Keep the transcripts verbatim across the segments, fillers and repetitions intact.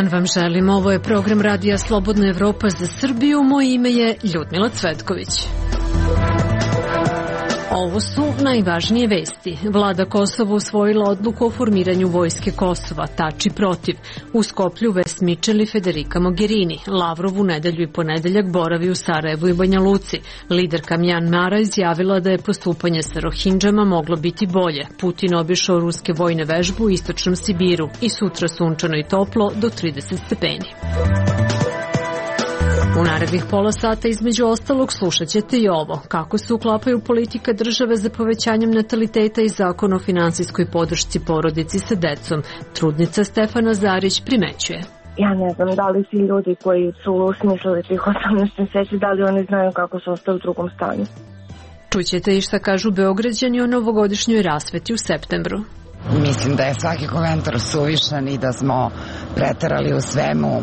dan vam želim. Ovo je program Radija Slobodna Evropa za Srbiju. Moje ime je Ljudmila Cvetković. Ovo su najvažnije vesti. Vlada Kosova usvojila odluku o formiranju vojske Kosova, Tači protiv. U Skoplju Ves Mičel i Federica Mogherini. Lavrov u nedelju i ponedeljak boravi u Sarajevu i Banja Luci. Liderka Mjanmara izjavila da je postupanje sa Rohindžama moglo biti bolje. Putin obišao ruske vojne vežbe u istočnom Sibiru i sutra sunčano i toplo do trideset stepeni. U narednih pola sata između ostalog slušat ćete i ovo. Kako se uklapaju politika države za povećanjem nataliteta i zakon o finansijskoj podršci porodici sa decom. Trudnica Stefana Zarić primećuje. Ja ne znam da li ti ljudi koji su smislili tih osamnaest meseci, da li oni znaju kako su ostali u drugom stanju. Čućete i šta kažu Beograđani o novogodišnjoj rasveti u septembru. Mislim da je svaki komentar suvišan i da smo preterali u svemu,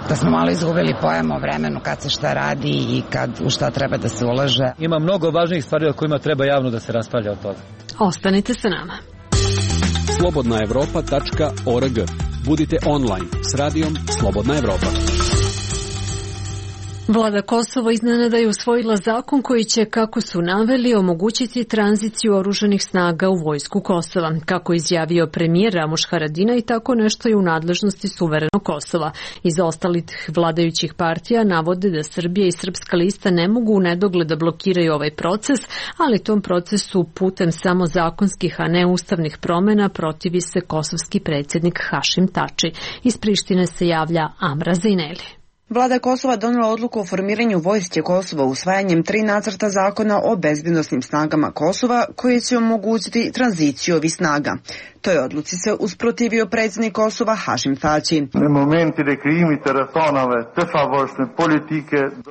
da smo malo izgubili pojam o vremenu kad se šta radi i kad u šta treba da se ulaže. Ima mnogo važnijih stvari o kojima treba javno da se raspravlja od toga. Ostanite sa nama. slobodna evropa tačka org. Budite online s radijom Slobodna Evropa. Vlada Kosova iznenada je usvojila zakon koji će, kako su naveli, omogućiti tranziciju oružanih snaga u vojsku Kosova. Kako izjavio premijer Ramuš Haradinaj, tako nešto je u nadležnosti suverenog Kosova. Iz ostalih vladajućih partija navode da Srbija i Srpska lista ne mogu u nedogled da blokiraju ovaj proces, ali tom procesu putem samo zakonskih, a ne ustavnih promena protivi se kosovski predsjednik Hašim Tači. Iz Prištine se javlja Amra Zejneli. Vlada Kosova donela odluku o formiranju vojske Kosova usvajanjem tri nacrta zakona o bezbednosnim snagama Kosova koji će omogućiti tranziciju ovih snaga. Toj odluci se usprotivio predsjednik Kosova Hašim Tači.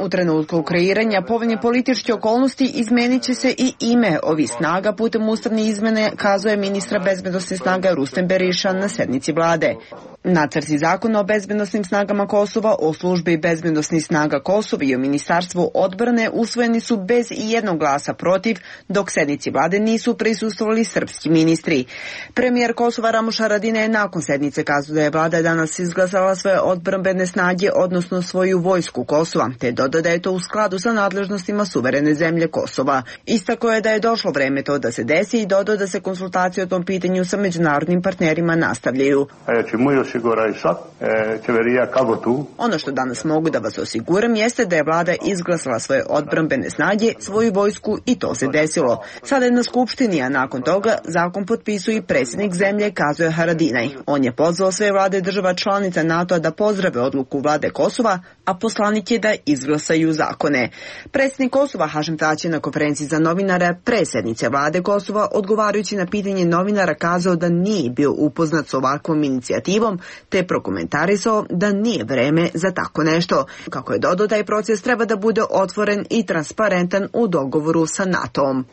U trenutku kreiranja povoljne političke okolnosti izmenit će se i ime ovih snaga putem ustavne izmene, kazuje ministra bezbednosnih snaga Rustem Beriša na sednici vlade. Nacrti zakona o bezbednosnim snagama Kosova, o službi bezbednosnih snaga Kosova i o ministarstvu odbrane usvojeni su bez i jednog glasa protiv, dok sednici vlade nisu prisustvovali srpski ministri. Premijer Kosova Ramuš Haradinaj je nakon sednice kazao da je vlada danas izglasala svoje odbrambene snage, odnosno svoju vojsku Kosova, te dodao da je to u skladu sa nadležnostima suverene zemlje Kosova. Istako je da je došlo vreme to da se desi i dodao da se konsultacije o tom pitanju sa međunarodnim partnerima nastavljaju. Ono što danas mogu da vas osiguram jeste da je vlada izglasala svoje odbrambene snage, svoju vojsku i to se desilo. Sada je na skupštini, a nakon toga zakon potpisuje i predsjednik zemlje, kazuje Haradinaj. On je pozvao sve vlade država članica NATO-a da pozdrave odluku vlade Kosova, a poslanik je da izglasaju zakone. Predsjednik Kosova Hašim Tači na konferenciji za novinare pre sednice vlade Kosova, odgovarajući na pitanje novinara, kazao da nije bio upoznat s ovakvom inicijativom, te prokomentarisao da nije vreme za tako nešto. Kako je dodao, taj proces treba da bude otvoren i transparentan u dogovoru sa NATO-om.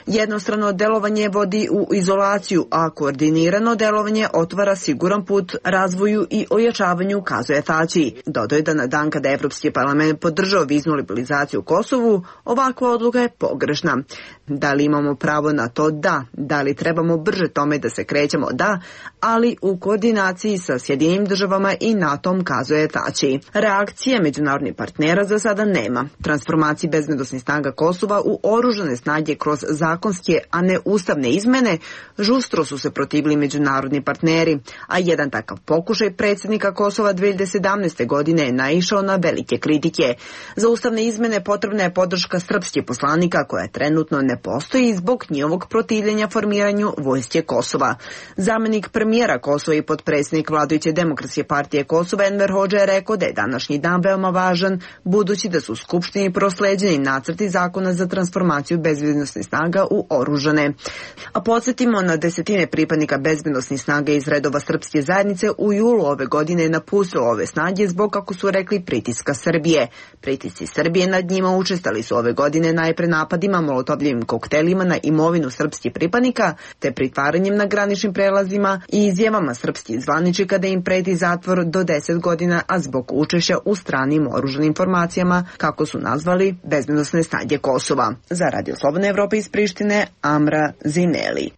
Jednostrano delovanje vodi u izolaciju, a koordinirano delovanje otvara siguran put razvoju i ojačavanju, kazuje Tači. Dodao je da na dan kada Evropski parlament podržao viznu liberalizaciju u Kosovu, ovakva odluka je pogrešna. Da li imamo pravo na to? Da. Da li trebamo brže tome da se krećemo? Da, ali u koordinaciji sa Sjedinjenim državama i NATO-om, kazuje Tači. Reakcije međunarodnih partnera za sada nema. Transformaciji bezbednosnih snaga Kosova u oružane snage kroz zakonske, a ne ustavne izmene, žustro su se protivili međunarodni partneri, a jedan takav pokušaj predsjednika Kosova dve hiljade sedamnaeste. godine je naišao na velike kritike. Za ustavne izmene potrebna je podrška srpskih poslanika koja trenutno ne postoji zbog njihovog protivljenja formiranju vojske Kosova. Zamenik premijera Kosova i potpredsjednik vladajuće Demokratske partije Kosova Enver Hodža je rekao da je današnji dan veoma važan, budući da su u Skupštini prosleđeni nacrti zakona za transformaciju bezbednosnih snaga u oružane. A podsjetimo, na desetine pripadnika bezbednosnih snaga iz redova srpske zajednice u julu ove godine je napustilo ove snage zbog, kako su rekli, pritiska Srbije. Pritisci Srbije nad njima učestali su ove godine najpre napadima, molotovljivim koktelima na imovinu srpskih pripadnika, te pritvaranjem na graničnim prelazima i izjavama srpskih zvaničnika da im preti zatvor do deset godina, a zbog učešća u stranim oružanim formacijama, kako su nazvali bezbednosne snage Kosova. Za Radio Slobodna Evropa iz Prištine, Amra Zineli.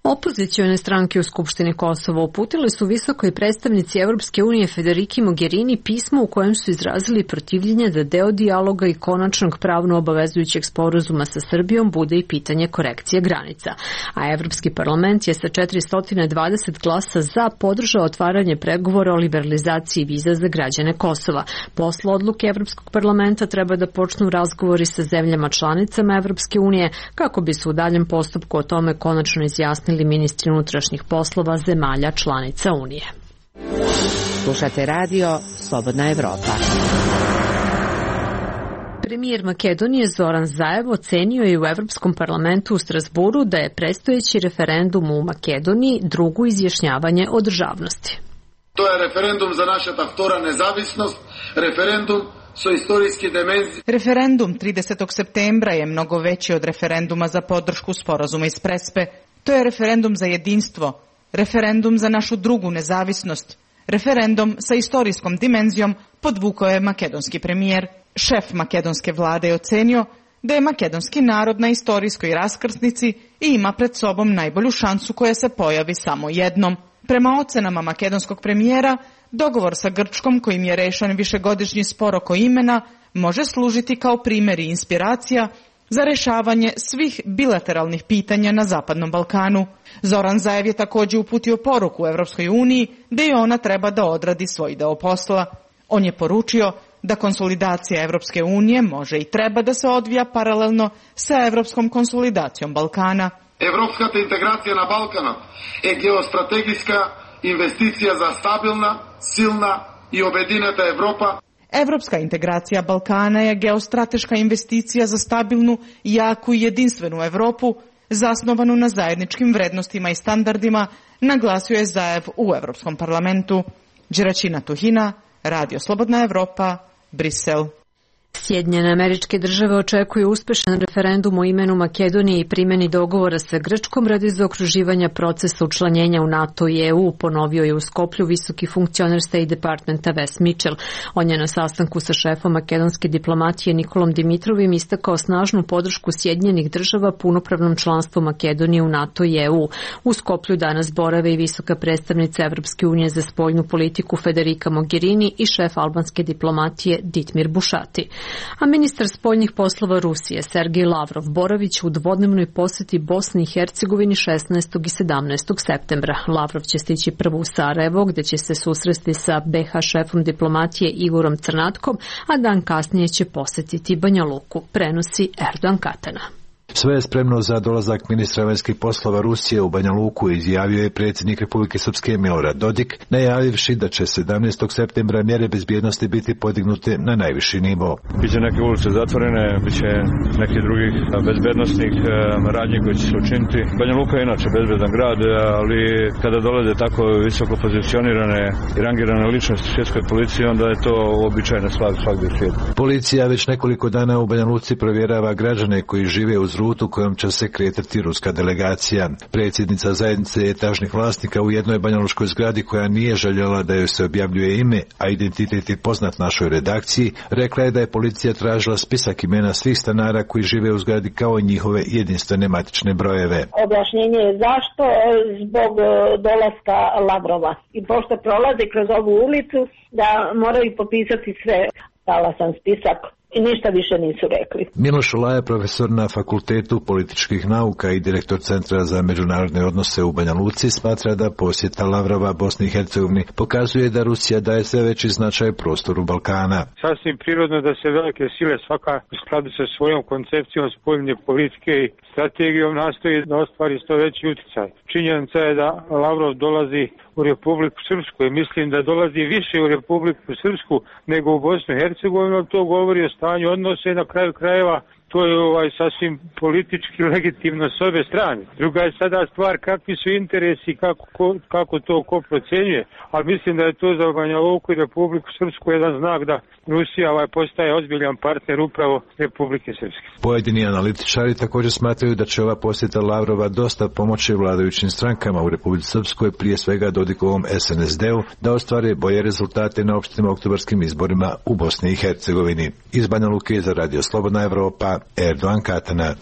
Opozicione stranke u Skupštini Kosova uputile su visokoj predstavnici Evropske unije Federiki Mogherini pismo u kojem su izrazili protivljenje da deo dijaloga i konačnog pravno obavezujućeg sporazuma sa Srbijom bude i pitanje korekcije granica. A Evropski parlament je sa četiristo dvadeset glasa za podržao otvaranje pregovora o liberalizaciji viza za građane Kosova. Posle odluke Evropskog parlamenta treba da počnu razgovori sa zemljama članicama Evropske unije kako bi se u daljem postupku o tome konačno izjasnili ministri unutrašnjih poslova zemalja članica Unije. Slušate radio Slobodna Evropa. Premijer Makedonije Zoran Zaev ocenio je u Evropskom parlamentu u Strasburu da je predstojeći referendum u Makedoniji drugo izjašnjavanje o državnosti. To je referendum za naša ta vtora nezavisnost, referendum so istorijski dimenzije. Referendum tridesetog septembra je mnogo veći od referenduma za podršku sporazuma iz Prespe. To je referendum za jedinstvo, referendum za našu drugu nezavisnost, referendum sa istorijskom dimenzijom, podvukao je makedonski premijer. Šef makedonske vlade je ocenio da je makedonski narod na istorijskoj raskrsnici i ima pred sobom najbolju šansu koja se pojavi samo jednom. Prema ocenama makedonskog premijera, dogovor sa Grčkom kojim je rešen višegodišnji spor oko imena može služiti kao primjer i inspiracija za rešavanje svih bilateralnih pitanja na Zapadnom Balkanu. Zoran Zaev je također uputio poruku Evropskoj uniji da i ona treba da odradi svoj deo posla. On je poručio da konsolidacija Evropske unije može i treba da se odvija paralelno sa evropskom konsolidacijom Balkana. Evropskата integracija na Balkanu je geostrategijska investicija za stabilna, silna i objedinjena Evropa. Evropska integracija Balkana je geostrateška investicija za stabilnu, jaku i jedinstvenu Evropu, zasnovanu na zajedničkim vrednostima i standardima, naglasio je Zaev u Evropskom parlamentu. Đeračina Tuhina, Radio Slobodna Evropa, Brisel. Sjedinjene Američke Države očekuju uspešan referendum o imenu Makedonije i primjeni dogovora sa Grčkom radi zaokruživanja procesa učlanjenja u NATO i E U, ponovio je u Skoplju visoki funkcioner State Departmenta Wes Mitchell. On je na sastanku sa šefom makedonske diplomatije Nikolom Dimitrovim istakao snažnu podršku Sjedinjenih Država punopravnom članstvu Makedonije u NATO i E U. U Skoplju danas borave i visoka predstavnica Evropske unije za spoljnu politiku Federika Mogherini i šef albanske diplomatije Ditmir Bušati. A ministar spoljnih poslova Rusije Sergej Lavrov boravić u dvodnevnoj poseti Bosni i Hercegovini šesnaestog i sedamnaestog septembra. Lavrov će stići prvo u Sarajevo, gde će se susresti sa B H šefom diplomatije Igorom Crnatkom, a dan kasnije će posetiti Banja Luku, prenosi Erdogan Katana. Sve je spremno za dolazak ministra vanjskih poslova Rusije u Banja Luku, izjavio je predsjednik Republike Srpske Milorad Dodik, najavivši da će sedamnaestog septembra mjere bezbjednosti biti podignute na najviši nivo. Biće neke ulice zatvorene, biće neki drugih bezbednostnih radnji koji će se učiniti. Banja Luka je inače bezbedan grad, ali kada dolaze tako visoko pozicionirane i rangirane ličnosti svjetskoj policiji, onda je to običajna stvar svakdje u svijetu. Policija već nekoliko dana u Banja Luci provjerava građane koji žive uz rutu kojom će se kretati ruska delegacija. Predsjednica zajednice etažnih vlasnika u jednoj banjaluškoj zgradi koja nije željela da joj se objavljuje ime, a identitet je poznat našoj redakciji, rekla je da je policija tražila spisak imena svih stanara koji žive u zgradi kao i njihove jedinstvene matične brojeve. Objašnjenje je zašto? Zbog dolaska Lavrova. I pošto prolaze kroz ovu ulicu, da moraju popisati sve. Dala sam spisak. I ništa više nisu rekli. Miloš Ulaja, profesor na Fakultetu političkih nauka i direktor Centra za međunarodne odnose u Banja Luci, smatra da posjeta Lavrova Bosni i Hercegovini pokazuje da Rusija daje sve veći značaj prostoru Balkana. Sasvim prirodno da se velike sile svaka u skladu sa svojom koncepcijom spoljne politike i strategijom nastoji da ostvari što veći utjecaj. Činjenica je da Lavrov dolazi u Republiku Srpsku i mislim da dolazi više u Republiku Srpsku nego u Bosnu i Hercegovinu. To govori o stanju odnose na kraju krajeva. To je ovaj sasvim politički legitimno s obe strane. Druga je sada stvar kakvi su interesi, kako, ko, kako to ko procenjuje, ali mislim da je to za Banja Luku i Republiku Srpsku jedan znak da Rusija ovaj postaje ozbiljan partner upravo Republike Srpske. Pojedini analitičari također smatraju da će ova posjeta Lavrova dosta pomoći vladajućim strankama u Republici Srpskoj, prije svega Dodikovom S N S D-u, da ostvare bolje rezultate na opštim oktobarskim izborima u Bosni i Hercegovini. Iz Banja Luke za Radio Slobodna Evropa, Erdogan Katana.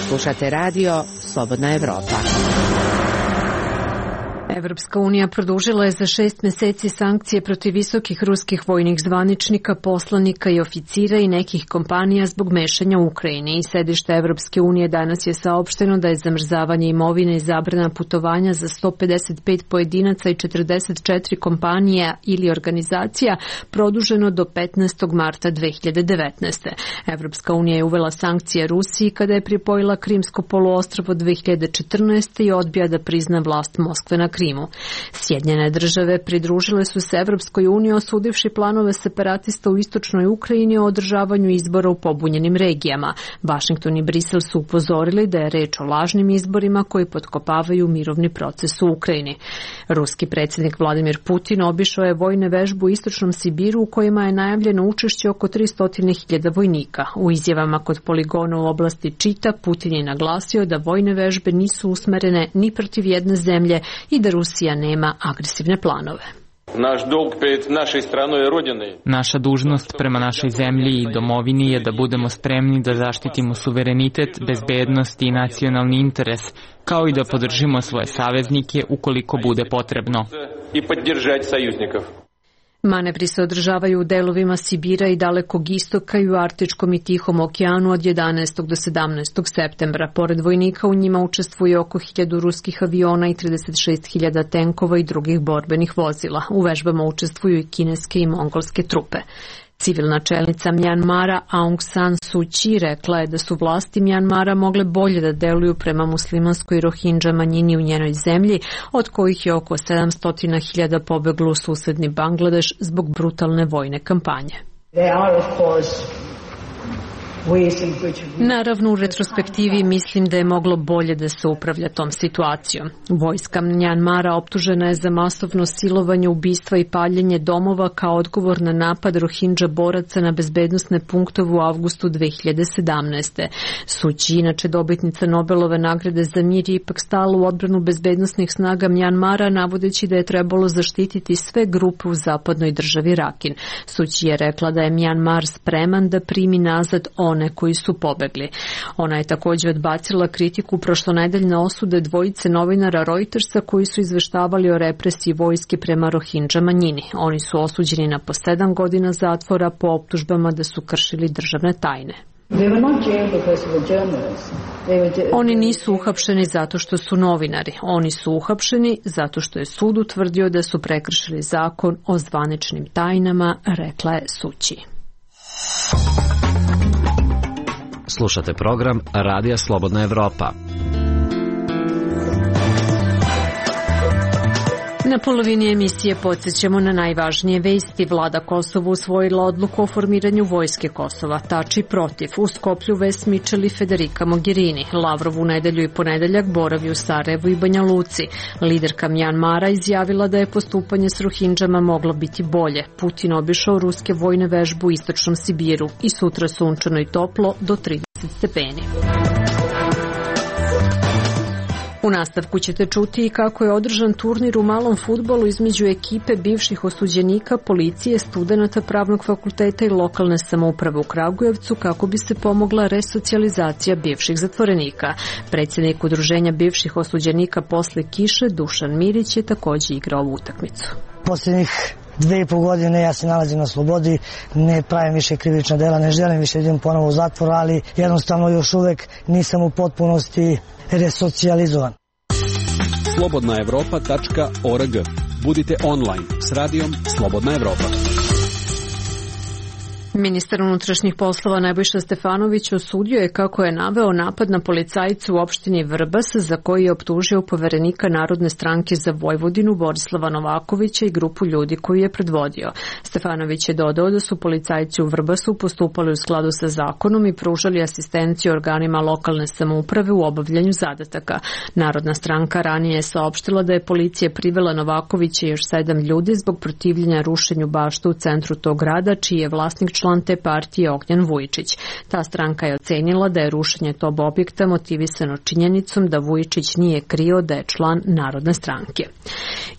Slušate radio Slobodna Evropa. Evropska unija produžila je za šest meseci sankcije protiv visokih ruskih vojnih zvaničnika, poslanika i oficira i nekih kompanija zbog mešanja u Ukrajini. I sedište Evropske unije danas je saopšteno da je zamrzavanje imovine i zabrana putovanja za sto pedeset pet pojedinaca i četrdeset četiri kompanija ili organizacija produženo do petnaestog marta dve hiljade devetnaeste. Evropska unija je uvela sankcije Rusiji kada je pripojila Krimsko poluostrvo dve hiljade četrnaeste. i odbija da prizna vlast Moskve na Krimu. Sjedinjene države pridružile su se Evropskoj uniji osudivši planove separatista u istočnoj Ukrajini o održavanju izbora u pobunjenim regijama. Vašington i Brisel su upozorili da je reč o lažnim izborima koji potkopavaju mirovni proces u Ukrajini. Ruski predsjednik Vladimir Putin obišao je vojne vežbe u istočnom Sibiru u kojima je najavljeno učešće oko tristo hiljada vojnika. U izjavama kod poligona u oblasti Čita Putin je naglasio da vojne vežbe nisu usmerene ni protiv jedne zemlje i da Rusija nema agresivne planove. Naša dužnost prema našoj zemlji i domovini je da budemo spremni da zaštitimo suverenitet, bezbednost i nacionalni interes, kao i da podržimo svoje saveznike ukoliko bude potrebno. Manevri se održavaju u delovima Sibira i Dalekog istoka i u Arktičkom i Tihom okeanu od jedanaestog do sedamnaestog septembra. Pored vojnika u njima učestvuje oko hiljadu ruskih aviona i trideset šest hiljada tenkova i drugih borbenih vozila. U vežbama učestvuju i kineske i mongolske trupe. Civilna čelnica Mjanmara Aung San Suu Kyi rekla je da su vlasti Mjanmara mogle bolje da deluju prema muslimanskoj Rohingya manjini u njenoj zemlji, od kojih je oko sedamsto hiljada pobeglo u susedni Bangladeš zbog brutalne vojne kampanje. Naravno, u retrospektivi mislim da je moglo bolje da se upravlja tom situacijom. Vojska Mjanmara optužena je za masovno silovanje, ubistva i paljenje domova kao odgovor na napad Rohingya boraca na bezbednosne punktove u avgustu dve hiljade sedamnaeste. Suu Kyi, inače dobitnica Nobelove nagrade za mir, je ipak stala u odbranu bezbednosnih snaga Mjanmara, navodeći da je trebalo zaštititi sve grupe u zapadnoj državi Rakin. Suu Kyi je rekla da je Mjanmar spreman da primi nazad one koji su pobegli. Ona je također odbacila kritiku prošlonedeljne osude dvojice novinara Reutersa koji su izveštavali o represiji vojske prema Rohingya manjini. Oni su osuđeni na po sedam godina zatvora po optužbama da su kršili državne tajne. Oni nisu uhapšeni zato što su novinari. Oni su uhapšeni zato što je sud utvrdio da su prekršili zakon o zvaničnim tajnama, rekla je Suu Kyi. Slušate program Radija Slobodna Evropa. Na polovini emisije podsjećamo na najvažnije vesti. Vlada Kosova usvojila odluku o formiranju vojske Kosova. Tači protiv. U Skoplju Ves Mičel i Federica Mogherini. Lavrov u nedelju i ponedeljak boravi u Sarajevu i Banja Luci. Liderka Mjanmara izjavila da je postupanje s Rohinđama moglo biti bolje. Putin obišao ruske vojne vežbe u istočnom Sibiru i sutra sunčano i toplo do trideset stepeni. U nastavku ćete čuti i kako je održan turnir u malom fudbalu između ekipe bivših osuđenika, policije, studenata Pravnog fakulteta i lokalne samouprave u Kragujevcu kako bi se pomogla resocijalizacija bivših zatvorenika. Predsjednik udruženja bivših osuđenika posle kiše, Dušan Mirić, je također igrao ovu utakmicu. Posljednjih dve i pol godine ja se nalazim na slobodi, ne pravim više krivična dela, ne želim više idem ponovo u zatvor, ali jednostavno još uvek nisam u potpunosti resocijalizovan. slobodna evropa tačka org. Budite online s radijom Slobodna Evropa. Ministar unutrašnjih poslova Nebojša Stefanović osudio je, kako je naveo, napad na policajcu u opštini Vrbas za koji je optužio poverenika Narodne stranke za Vojvodinu Borislava Novakovića i grupu ljudi koju je predvodio. Stefanović je dodao da su policajci u Vrbasu postupali u skladu sa zakonom i pružali asistenciju organima lokalne samouprave u obavljanju zadataka. Narodna stranka ranije je saopštila da je policija privela Novakovića i još sedam ljudi zbog protivljenja rušenju bašta u centru tog grada, čiji je vlasnik član te partije Ognjen Vujičić. Ta stranka je ocenila da je rušenje tog objekta motivisano činjenicom da Vujičić nije krio da je član Narodne stranke.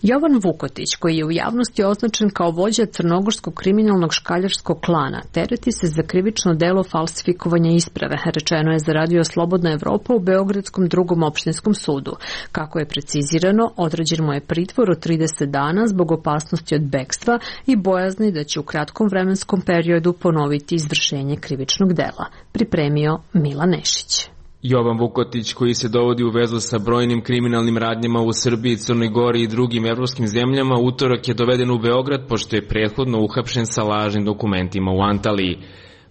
Jovan Vukotić, koji je u javnosti označen kao vođa crnogorskog kriminalnog škaljarskog klana, tereti se za krivično delo falsifikovanja isprave, rečeno je za Radio Slobodna Evropa u Beogradskom drugom opštinskom sudu. Kako je precizirano, određen mu je pritvor od trideset dana zbog opasnosti od bekstva i bojazni da će u kratkom vremenskom periodu ponoviti izvršenje krivičnog dela. Pripremio Milan Nešić. Jovan Vukotić, koji se dovodi u vezu sa brojnim kriminalnim radnjama u Srbiji, Crnoj Gori i drugim evropskim zemljama, utorak je doveden u Beograd pošto je prethodno uhapšen sa lažnim dokumentima u Antaliji.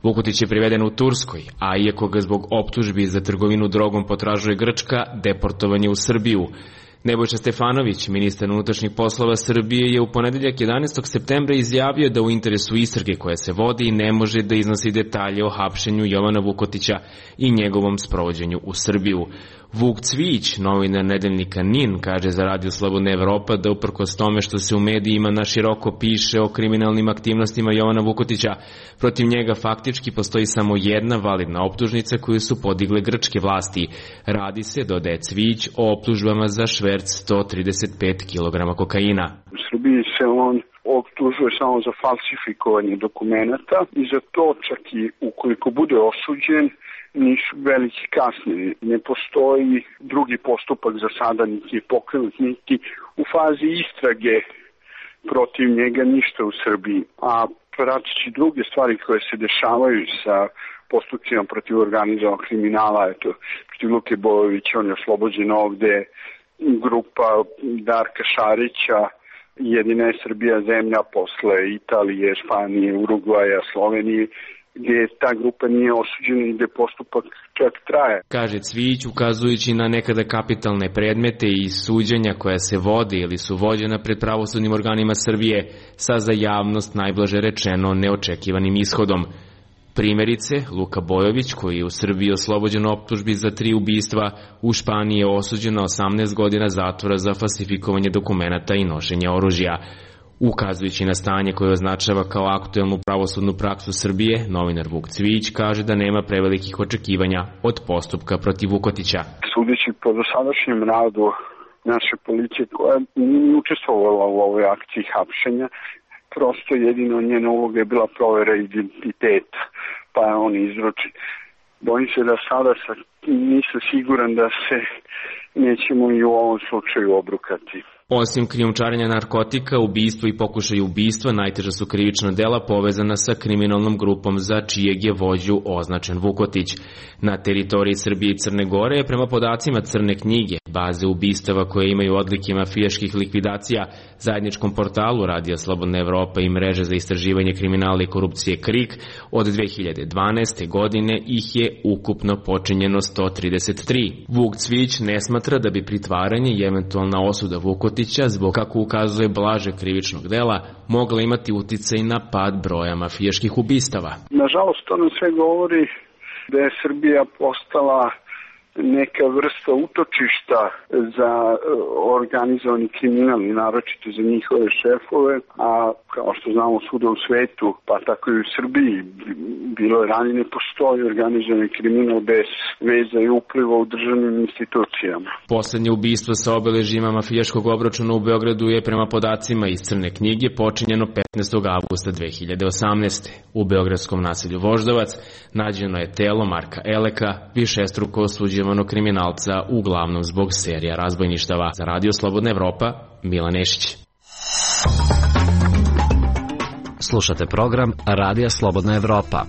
Vukotić je priveden u Turskoj, a iako ga zbog optužbi za trgovinu drogom potražuje Grčka, deportovan je u Srbiju. Nebojša Stefanović, ministar unutrašnjih poslova Srbije, je u ponedeljak jedanaestog septembra izjavio da u interesu istrage koja se vodi ne može da iznosi detalje o hapšenju Jovana Vukotića i njegovom sprovođenju u Srbiju. Vuk Cvijić, novinar nedeljnika N I N, kaže za Radio Slobodna Evropa da uprkos tome što se u medijima naširoko piše o kriminalnim aktivnostima Jovana Vukotića, protiv njega faktički postoji samo jedna validna optužnica koju su podigle grčke vlasti. Radi se, dodaje Cvijić, o optužbama za šverc sto trideset pet kilograma kokaina. U Srbiji se on optužuje samo za falsifikovanje dokumenata i za to čak i ukoliko bude osuđen, nisu veliki kasnije. Ne postoji drugi postupak za sada, niti je pokrenut, niti u fazi istrage protiv njega ništa u Srbiji. A prateći druge stvari koje se dešavaju sa postupcima protiv organizovanog kriminala, eto, protiv Luke Bojovića, on je oslobođen ovde, grupa Darka Šarića, jedina je Srbija zemlja posle Italije, Španije, Urugvaja, Slovenije, gdje ta grupa nije osuđena i gdje postupak čak traje. Kaže Cvijić, ukazujući na nekada kapitalne predmete i suđenja koja se vode ili su vođena pred pravosudnim organima Srbije sa za javnost najblaže rečeno neočekivanim ishodom. Primjerice, Luka Bojović, koji je u Srbiji oslobođen optužbi za tri ubistva, u Španiji je osuđen na osamnaest godina zatvora za falsifikovanje dokumenata i nošenje oružja. Ukazujući na stanje koje označava kao aktuelnu pravosudnu praksu Srbije, novinar Vuk Cvijić kaže da nema prevelikih očekivanja od postupka protiv Vukotića. Sudeći po dosadašnjem radu naše policije koja nije učestvovala u ovoj akciji hapšenja, prosto jedino njena uloga je bila provera identiteta, pa je on izruči. Bojim se da sada sa, nisam siguran da se nećemo i u ovom slučaju obrukati. Osim krijumčarenja narkotika, ubistvo i pokušaj ubistva najteža su krivična dela povezana sa kriminalnom grupom za čijeg je vođu označen Vukotić. Na teritoriji Srbije i Crne Gore je prema podacima Crne knjige, baze ubistava koje imaju odlike mafijaških likvidacija, zajedničkom portalu Radija Slobodna Evropa i mreže za istraživanje kriminala i korupcije KRIK, od dve hiljade dvanaeste. godine ih je ukupno počinjeno sto trideset tri. Vuk Cvijić ne smatra da bi pritvaranje i eventualna osuda Vukotića zbog, kako ukazuje, blaže krivičnog dela, mogla imati uticaj na pad broja mafijaških ubistava. Nažalost, to nam sve govori da je Srbija postala neka vrsta utočišta za organizovani kriminal i naročito za njihove šefove, a kao što znamo svuda u svetu, pa tako i u Srbiji, bilo je ranije, ne postoji organizovani kriminal bez veza i upliva u državnim institucijama. Poslednje ubistvo sa obeležjima mafijaškog obračuna u Beogradu je prema podacima iz Crne knjige počinjeno petnaestog avgusta dve hiljade osamnaeste. U beogradskom naselju Voždovac nađeno je telo Marka Eleka, višestruko osuđivanog kriminalca, uglavnom zbog serija razbojništava. Za Radio Slobodna Evropa, Milan Nešić. Slušate program Radija Slobodna Evropa.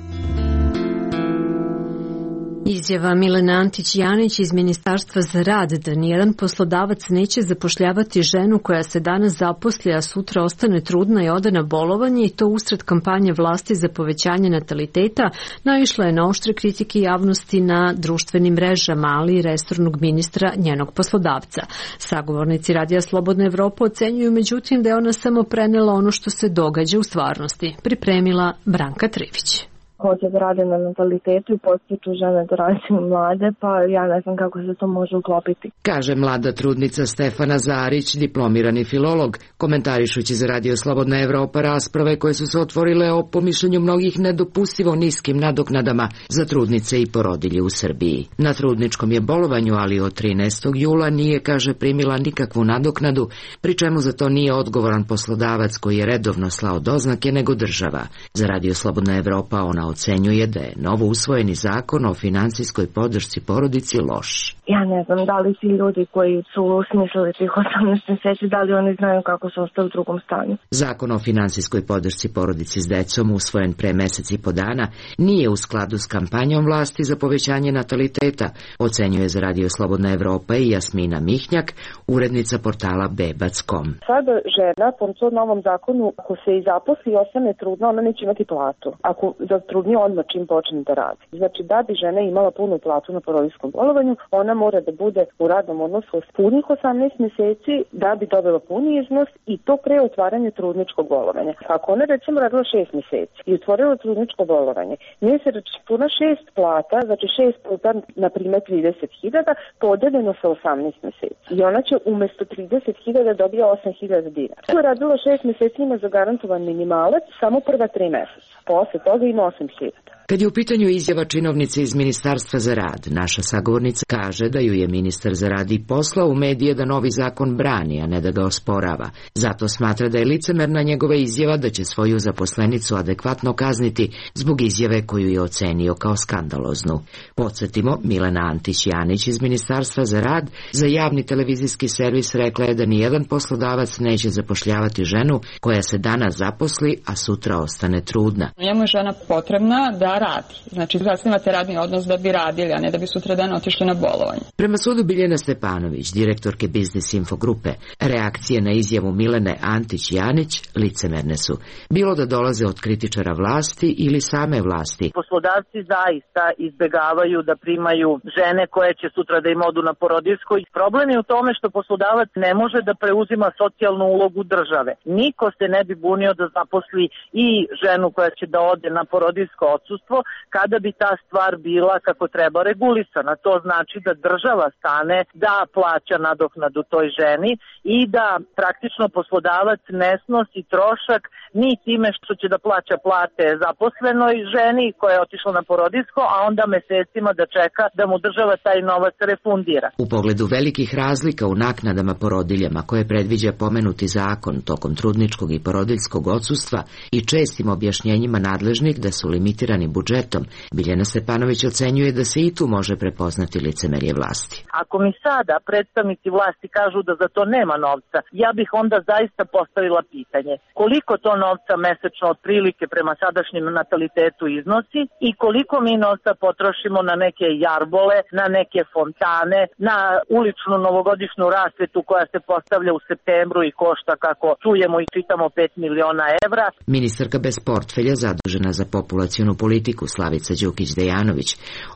Izjava Milene Antić-Janić iz Ministarstva za rad da nijedan poslodavac neće zapošljavati ženu koja se danas zaposli, a sutra ostane trudna i ode na bolovanje, i to usred kampanje vlasti za povećanje nataliteta, naišla je na oštre kritike javnosti na društvenim mrežama, ali i resornog ministra njenog poslodavca. Sagovornici Radija Slobodna Evropa ocenjuju međutim da je ona samo prenela ono što se događa u stvarnosti. Pripremila Branka Trivić. hoće da rade na natalitetu i podstiču žene da rađaju mlade, pa ja ne znam kako se to može uklopiti. Kaže mlada trudnica Stefana Zarić, diplomirani filolog, komentarišući za Radio Slobodna Evropa rasprave koje su se otvorile o po mišljenju mnogih nedopustivo niskim nadoknadama za trudnice i porodilje u Srbiji. Na trudničkom je bolovanju, ali od trinaestog jula nije, kaže, primila nikakvu nadoknadu, pri čemu za to nije odgovoran poslodavac koji je redovno slao doznake, nego država. Za Radio Slobodna Evropa ona ocenjuje da je novo usvojeni zakon o finansijskoj podršci porodici loš. Ja ne znam da li ti ljudi koji su smislili tih osamnaest meseci, da li oni znaju kako se ostaje u drugom stanju. Zakon o finansijskoj podršci porodici s decom, usvojen pre mesec i po dana, nije u skladu s kampanjom vlasti za povećanje nataliteta, ocenjuje za Radio Slobodna Evropa i Jasmina Mihnjak, urednica portala bebac tačka com. Sada žena, po tom novom zakonu, ako se i zaposli i ostane trudna, ona neće imati platu. Ako zatrudni odmah čim počne da radi. Znači, da bi žena imala punu platu na porodiljskom bolovanju, ona mora da bude u radnom odnosu s punih osamnaest meseci da bi dobila puni iznos i to pre otvaranja trudničkog bolovanja. Ako ona recimo radila šest meseci i otvorila trudničko bolovanje, nije se računa šest plata, znači šest puta, na primjer trideset hiljada, podeljeno sa osamnaest meseci. I ona će umesto trideset hiljada dobija osam hiljada dinara. Ako je radila šest meseci, ima zagarantovan minimalac samo prva tri meseca. Posle toga ima osam hiljada. Kad je u pitanju izjava činovnice iz Ministarstva za rad, naša sagovornica kaže da ju je ministar za rad i poslao u medije da novi zakon brani, a ne da ga osporava. Zato smatra da je licemerna njegova izjava da će svoju zaposlenicu adekvatno kazniti zbog izjave koju je ocenio kao skandaloznu. Podsjetimo, Milena Antić-Janić iz Ministarstva za rad za javni televizijski servis rekla je da nijedan poslodavac neće zapošljavati ženu koja se danas zaposli, a sutra ostane trudna. Njemu je žena potrebna da radi. Znači, zasnivate radni odnos da bi radili, a ne da bi sutra dan otišli na bolovanje. Prema sudu Biljana Stepanović, direktorke Biznis Info grupe, reakcije na izjavu Milene Antić-Janić licemerne su. Bilo da dolaze od kritičara vlasti ili same vlasti. Poslodavci zaista izbegavaju da primaju žene koje će sutra da im odu na porodiljsko. Problem je u tome što poslodavac ne može da preuzima socijalnu ulogu države. Niko se ne bi bunio da zaposli i ženu koja će da ode na porodiljsko odsustvo kada bi ta stvar bila kako treba regulisana. To znači da država stane da plaća nadoknadu toj ženi i da praktično poslodavac ne snosi trošak ni time što će da plaća plate zaposlenoj ženi koja je otišla na porodiljsko, a onda mesecima da čeka da mu država taj novac refundira. U pogledu velikih razlika u naknadama porodiljama koje predviđa pomenuti zakon tokom trudničkog i porodiljskog odsustva i čestim objašnjenjima nadležnih da su limitirani budžetom, Biljana Stepanović ocenjuje da se i tu može prepoznati licemerje vlasti. Ako mi sada predstavnici vlasti kažu da za to nema novca, ja bih onda zaista postavila pitanje koliko to novca mesečno otprilike prema sadašnjem natalitetu iznosi i koliko mi novca potrošimo na neke jarbole, na neke fontane, na uličnu novogodišnju rasvetu koja se postavlja u septembru i košta, kako čujemo i čitamo, pet miliona evra. Ministarka bez portfelja zadužena za populacionu politiku Slavica Đukić-Dejanović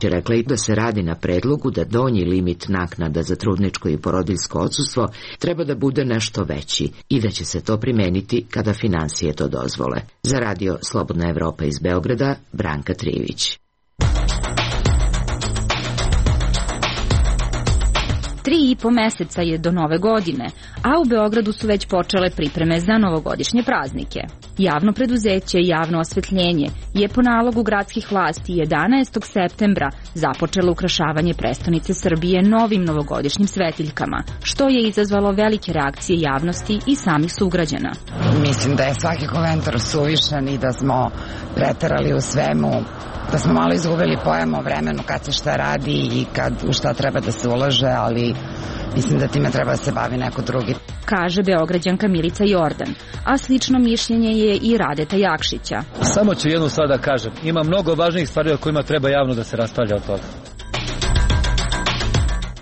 je rekla i da se radi na predlogu da donji limit naknada za trudničko i porodiljsko odsustvo treba da bude nešto veći i da će se to primeniti kada finansije to dozvole. Za Radio Slobodna Evropa iz Beograda, Branka Trivić. Tri i po meseca je do nove godine, a u Beogradu su već počele pripreme za novogodišnje praznike. Javno preduzeće Javno osvetljenje je po nalogu gradskih vlasti jedanaestog septembra započelo ukrašavanje prestonice Srbije novim novogodišnjim svetiljkama, što je izazvalo velike reakcije javnosti i samih sugrađana. Mislim da je svaki komentar suvišan i da smo preterali u svemu, da smo malo izgubili pojam o vremenu kad se šta radi i kad u šta treba da se ulaže, ali mislim da time treba da se bavi neko drugi. Kaže Beograđanka Milica Jordan, a slično mišljenje je i Radeta Jakšića. Samo ću jednu stvar da kažem. Ima mnogo važnijih stvari o kojima treba javno da se raspravlja od toga.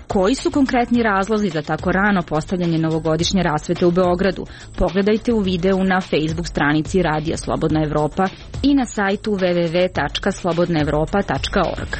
Koji su konkretni razlozi za tako rano postavljanje novogodišnje rasvete u Beogradu? Pogledajte u videu na Facebook stranici Radija Slobodna Evropa i na sajtu w w w tačka slobodna evropa tačka org.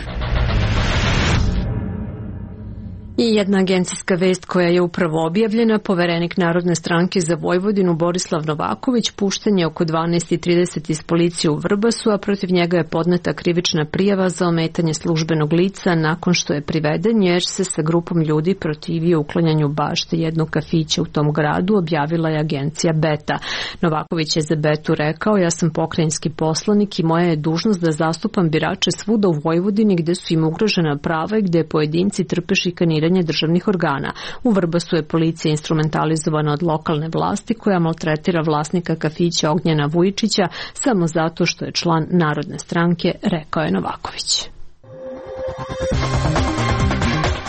I jedna agencijska vest koja je upravo objavljena, poverenik Narodne stranke za Vojvodinu Borislav Novaković pušten je oko dvanaest i trideset iz policije u Vrbasu, a protiv njega je podneta krivična prijava za ometanje službenog lica nakon što je priveden jer se sa grupom ljudi protivio uklanjanju bašte jednog kafića u tom gradu, objavila je agencija Beta. Novaković je za Betu rekao: ja sam pokrajinski poslanik i moja je dužnost da zastupam birače svuda u Vojvodini gde su im ugrožena prava i gde pojedinci trpe šikaniranje državnih organa. U Vrbasu je policija instrumentalizovana od lokalne vlasti koja maltretira vlasnika kafića Ognjena Vujičića samo zato što je član Narodne stranke, rekao je Novaković.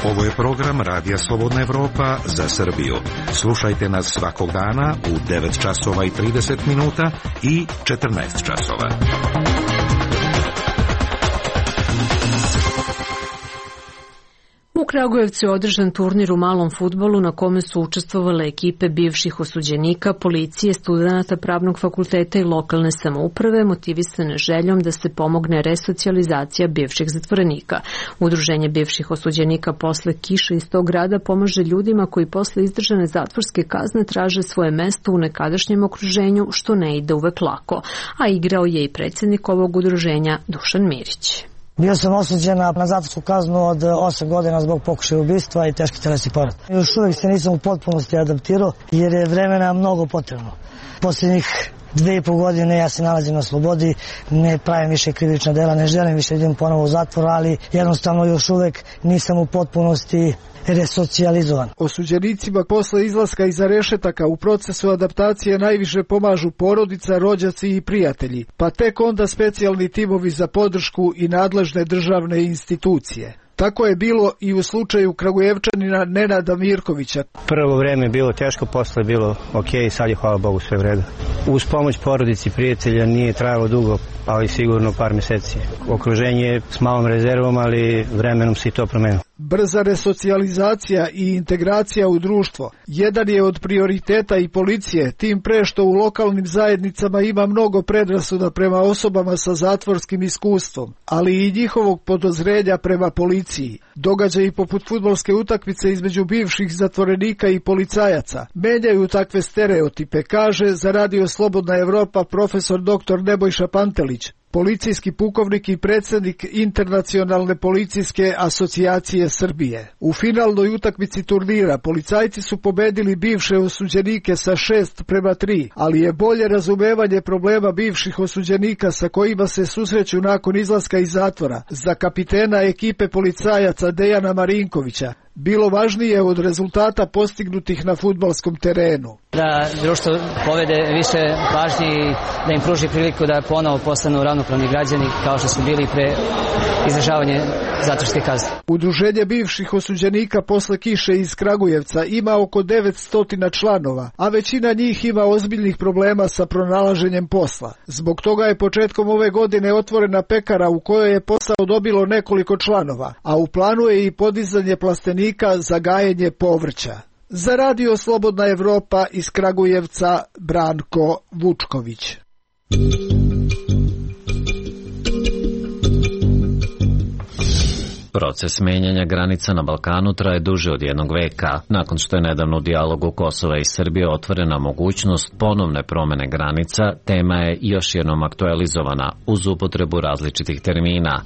Ovo je program Radija Slobodna Evropa za Srbiju. Slušajte nas svakog dana u devet časova i trideset minuta i četrnaest časova. U Kragujevcu je održan turnir u malom fudbalu na kome su učestvovale ekipe bivših osuđenika, policije, studenata pravnog fakulteta i lokalne samouprave, motivisane željom da se pomogne resocijalizacija bivših zatvorenika. Udruženje bivših osuđenika posle kiše iz tog grada pomaže ljudima koji posle izdržane zatvorske kazne traže svoje mesto u nekadašnjem okruženju, što ne ide uvek lako. A igrao je i predsjednik ovog udruženja Dušan Mirić. Bio sam osuđen na zatvorsku kaznu od osam godina zbog pokušaja ubistva i teški telesni povred. Još uvijek se nisam u potpunosti adaptirao jer je vremena mnogo potrebno. Posljednjih dve i pol godine ja se nalazim na slobodi, ne pravim više krivična dela, ne želim više idem ponovo u zatvor, ali jednostavno još uvijek nisam u potpunosti resocijalizovan. Osuđenicima posle izlaska iza rešetaka u procesu adaptacije najviše pomažu porodica, rođaci i prijatelji, pa tek onda specijalni timovi za podršku i nadležne državne institucije. Tako je bilo i u slučaju Kragujevčanina Nenada Mirkovića. Prvo vreme je bilo teško, posle je bilo ok, sad je hvala Bogu sve vredo. Uz pomoć porodici i prijatelja nije trajalo dugo, ali sigurno par meseci. Okruženje je s malom rezervom, ali vremenom se i to promenilo. Brza resocijalizacija i integracija u društvo jedan je od prioriteta i policije, tim pre što u lokalnim zajednicama ima mnogo predrasuda prema osobama sa zatvorskim iskustvom, ali i njihovog podozrenja prema policiji. Događaji poput fudbalske utakmice između bivših zatvorenika i policajaca menjaju takve stereotipe, kaže za Radio Slobodna Evropa profesor doktor Nebojša Pantelić, policijski pukovnik i predsjednik Internacionalne policijske asocijacije Srbije. U finalnoj utakmici turnira policajci su pobedili bivše osuđenike sa šest prema tri, ali je bolje razumevanje problema bivših osuđenika sa kojima se susreću nakon izlaska iz zatvora za kapitena ekipe policajaca Dejana Marinkovića bilo važnije od rezultata postignutih na fudbalskom terenu. Da društvo povede više pažnje i da im pruži priliku da ponovo postanu ravnopravni građani kao što su bili pre izdržavanja zatvorske kazne. Udruženje bivših osuđenika posle kiše iz Kragujevca ima oko devetsto članova, a većina njih ima ozbiljnih problema sa pronalaženjem posla. Zbog toga je početkom ove godine otvorena pekara u kojoj je posao dobilo nekoliko članova, a u planu je i podizanje plastenika za gajenje povrća. Za Radio Slobodna Evropa iz Kragujevca Branko Vučković. Proces menjanja granica na Balkanu traje duže od jednog veka. Nakon što je nedavno u dijalogu Kosova i Srbije otvorena mogućnost ponovne promene granica, tema je još jednom aktualizovana uz upotrebu različitih termina.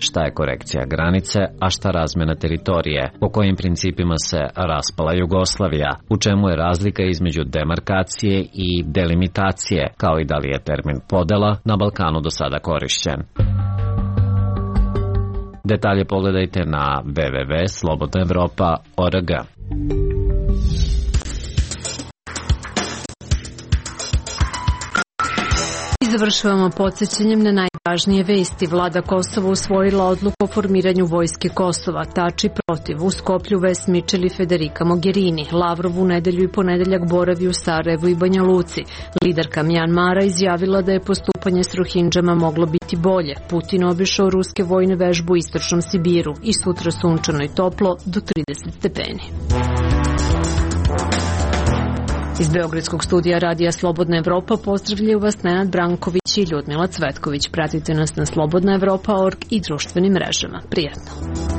Šta je korekcija granice, a šta razmjena teritorije, po kojim principima se raspala Jugoslavija, u čemu je razlika između demarkacije i delimitacije, kao i da li je termin podela na Balkanu do sada korišćen. Detalje pogledajte na w w w tačka slobodna evropa tačka org. Završavamo podsjećanjem na najvažnije vesti. Vlada Kosova usvojila odluku o formiranju vojske Kosova. Tači protiv. U Skoplju Ves Mičel i Federica Mogherini. Lavrov u nedelju i ponedeljak boravi u Sarajevu i Banja Luci. Liderka Mjanmara izjavila da je postupanje s Rohindžama moglo biti bolje. Putin obišao ruske vojne vežbe u istočnom Sibiru i sutra sunčano i toplo do trideset stepeni. Iz Beogradskog studija Radija Slobodna Evropa pozdravljaju vas Nenad Branković i Ljudmila Cvetković. Pratite nas na slobodna evropa tačka org i društvenim mrežama. Prijetno!